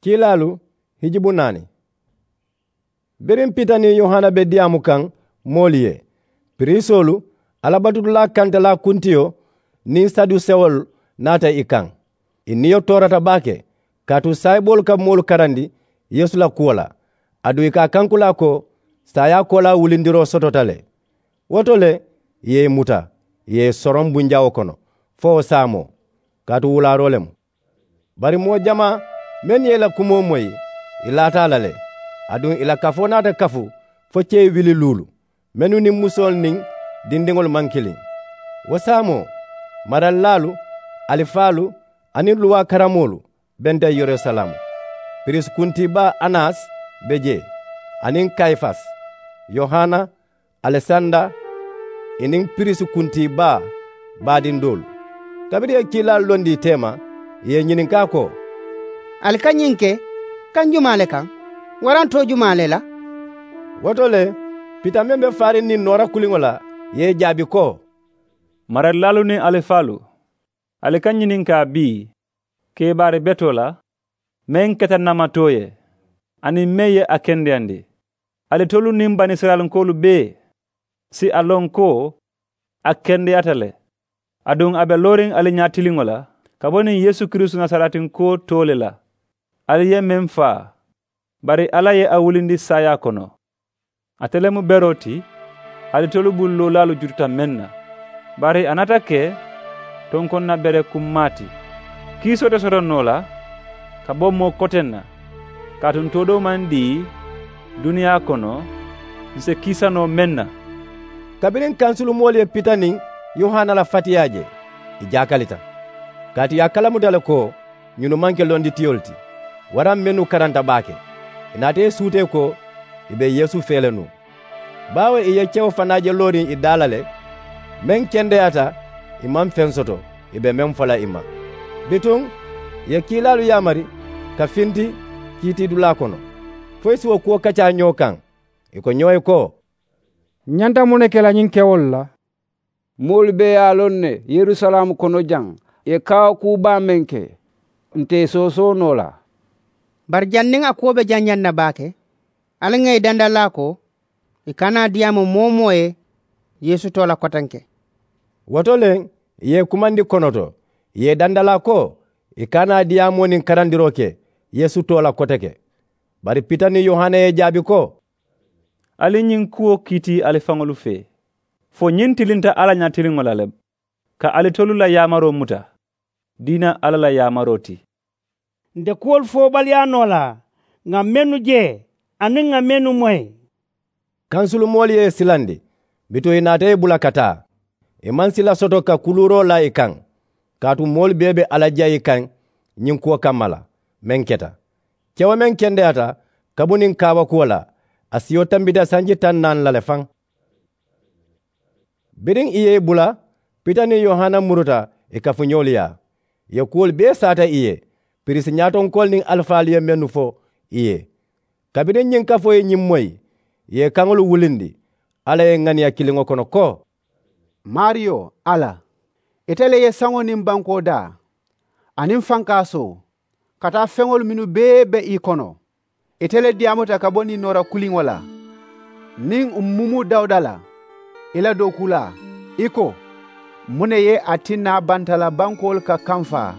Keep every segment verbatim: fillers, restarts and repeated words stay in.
Kiilaalu hijibu naani. Biriŋ pita niŋ yohana be diyaamu kaŋ moolu ye, piriisoolu, alabatudulaa kantalaa kuntiyo niŋ sadusewolu naata i kaŋ. I niyo toorata baake, kaatu saayiboolu ka moolu karandi yeesu la kuwo la. Aduŋ i ka a kankulaa ko saayaa koolaa wulindiroo sotota le. Wo to le, i ye i muta, i ye i soroŋ bunjawo kono fo wo saamoo, kaatu wulaaroo le mu. Bari moo jamaa mennu ye i la kumoo moyi, i laata a la le. Aduŋ i la kafoo naata kafu fo cee wili luulu, mennu niŋ musoolu niŋ dindiŋolu maŋ kiliŋ. Wo saamoo, maralilaalu, alifaalu aniŋ luwaa karamoolu benta yerusalaamu. Piriisi kuntii baa anas be jee, aniŋ kayifasi, yohana, alesanda, i niŋ piriisi kuntii baa baadiŋ doolu. Kabiriŋ i ye kiilaalu londi i teema, i ye i ñininkaa ko, ali ka ñiŋ ke kaŋ jumaa le kaŋ? Waraŋ too jumaa le la? Wo to le, pita meŋ be faariŋ niŋ noora kuliŋo la, i ye i jaabi ko, maralilaalu niŋ alifaalu, ali ka ñininkaa bii keebaari betoo la meŋ keta namatoo ye, aniŋ meŋ ye a kendeyandi. Alitolu niŋ banisirayilankoolu bee si a loŋ ko a kendeyaata le. Aduŋ a be looriŋ ali ñaatiliŋo la ka bo niŋ yeesu kiristu nasaraatinkuwo too le la. Ali ye meŋ faa, bari alla ye a wulindi saayaa kono. Ate le mu beroo ti alitolu bulu loolaalu jututa meŋ na. Bari a naata ke tonkonna bere kummaa ti. Kiisoo te soto noo la ka bo moo koteŋ na, kaatu ntoo doo maŋ dii duniyaa kono ǹ si kiisa noo meŋ na. Kabiriŋ kansulumoolu ye pita niŋ yohana la fatiyaa je, i jaakalita, kaatu ì ye a kalamuta le ko ñunu maŋ ke londitiyolu ti, waraŋ mennu karanta baake. Ì naata ì suutee ko ì be yeesu fee le nuŋ. Baawo ì ye kewo fanaa je looriŋ ì daa la le, meŋ kendeyaata ì maŋ feŋ soto ì be meŋ fo la ì ma. Bituŋ ì ye kiilaalu yaamari ka finti kiitiidulaa kono, fo ì si wo kuwo kacaa ñoo kaŋ. Ì ko ñoo ye ko, ǹ ñanta muŋ ne ke la ñiŋ kewolu la? Moolu bee ye a loŋ ne yerusalaamu kono jaŋ ì ye kaawakuu baa meŋ ke, nte ì soosoo noo la. Bari janniŋ a kuwo be janjaŋ na baake, ali ŋà ì dandalaa ko ì kana a diyaamu moo-wo-moo ye yeesu too la kotenke. Wo to le ì ye ì kumandi konoto, ì ye ì dandalaa ko ì kana a diyaamoo niŋ karandiroo ke yeesu too la koteke. Bari pita niŋ yohana ye ì jaabi ko, ali ñiŋ kuwo kiiti ali faŋolu fee. Fo ñiŋ tilinta alla ñaatiliŋo la le, ka alitolu la yaamaroo muta diina alla la yaamaroo ti. Nte kuwolu foobaliyaa noo la ŋà mennu je aniŋ ŋà mennu moyi. Kansulumoolu ye ì silandi, bituŋ ì naata ì bula ka taa. Ì maŋ sila soto ka kuluuroo laa ì kaŋ, kaatu moolu bee be alla jayi kaŋ ñiŋ kuwo kamma la meŋ keta. Kewo meŋ kendeyaata ka bo niŋ kaawakuwo la, a siyo tambita sanji taŋ naani la le faŋ. Biriŋ ì ye ì bula, pita niŋ yohana muruta ì kafuñoolu yaa. Ì ye kuwolu bee saata ì ye, piriisi ñaatonkoolu niŋ alifaalu ye mennu fo ì ye. Kabiriŋ ñiŋ kafoo ye ñiŋ moyi, ì ye ì kaŋolu wulindi alla ye ŋaniya kiliŋo kono ko, maariyo alla, ite le ye saŋo niŋ bankoo daa, aniŋ fankaasoo, ka taa feŋolu mennu bee be ì kono. Ite le diyaamuta ka bo niŋ noora kuliŋo la, niŋ ǹ mumu dawuda la, ì la dookuulaa, ì ko, muŋ ne ye a tinna bantala bankoolu ka kamfaa?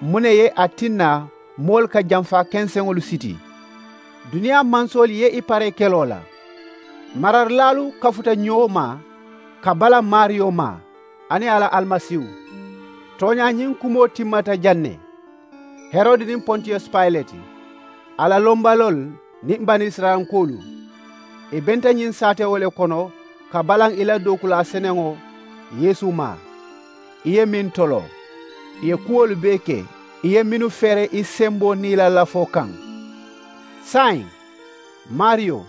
Muŋ ne ye a tinna moolu ka jamfaa kenseŋolu siti? Duniyaa mansoolu ye ì paree keloo la. Mararilaalu kafuta ñoo ma ka bala maariyo ma, aniŋ a la alimasiihu. Tooñaa ñiŋ kumoo timmata jaŋ ne. Herodi niŋ pontiyos payileti, a la lombaloolu niŋ banisirayilankoolu, ì benta ñiŋ saatewo le kono ka balaŋ ì la dookulaa seneŋo yeesu ma. Ì ye meŋ toloo, ì ye kuwolu bee ke, ì ye mennu feere ì semboo niŋ ì la lafoo kaŋ. Saayiŋ, maariyo,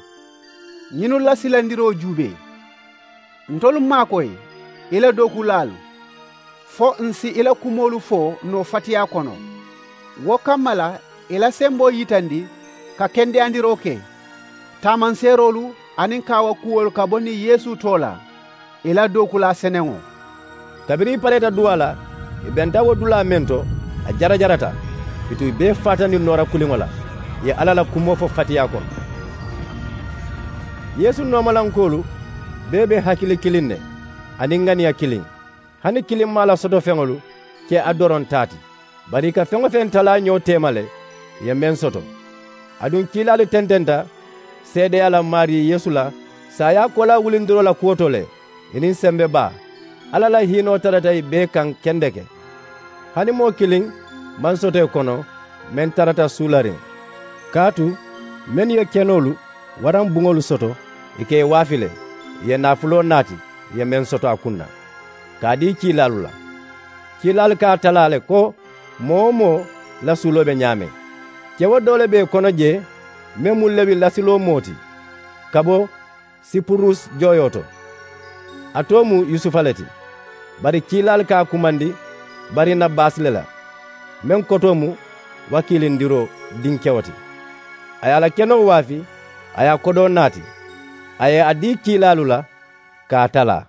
ñiŋ la silandiroo juubee. Ntolu maakoyi ì la dookuulaalu, fo ǹ si ì la kumoolu fo noo fatiyaa kono. Wo kamma la, ì la semboo yitandi ka kendeyandiroo ke, taamanseeroolu aniŋ kaawakuwolu ka bo niŋ yeesu too la, ì la dookulaa seneŋo. Kabiriŋ ì pareeta duwaa la, ì benta wo dulaa meŋ to, a jarajarata. Bituŋ i bee faata niŋ noora kuliŋo la, ì ye alla la kumoo fo fatiyaa kono. Yeesu noomalankoolu bee be hakili kiliŋ ne, aniŋ ŋaniya kiliŋ. Hani kiliŋ maŋ a la soto feŋolu ke a doroŋ taa ti, bari ì ka feŋ-wo-feŋ talaa ñoo teema le, ì ye meŋ soto. Aduŋ kiilaalu tententa seedeyaa la maarii yeesu la saayaa koolaa wulindiroo la kuwo to le. Ì niŋ sembe baa, alla la hiinoo tarata ì bee kaŋ kendeke. Hani moo kiliŋ maŋ soto ì kono meŋ tarata suulariŋ. Kaatu mennu ye kenoolu waraŋ buŋolu soto, ì ka ì waafi le, ì ye naafuloo naati ì ye meŋ soto a kuŋ na, ka a dii kiilaalu la. Kiilaalu ka a talaa le ko moo-wo-moo la suuloo be ñaameŋ. Kewo doo le be ì kono jee, meŋ mu lewi lasiloo moo ti, ka bo sipurus jooyoo to. A too mu yusufa le ti, bari kiilaalu ka a kumandi barinabasi le la, meŋ kotoo mu wakiilindiroo dinkewo ti. A ye a la kenoo waafi, a ye a kodoo naati, a ye a dii kiilaalu la ka a talaa.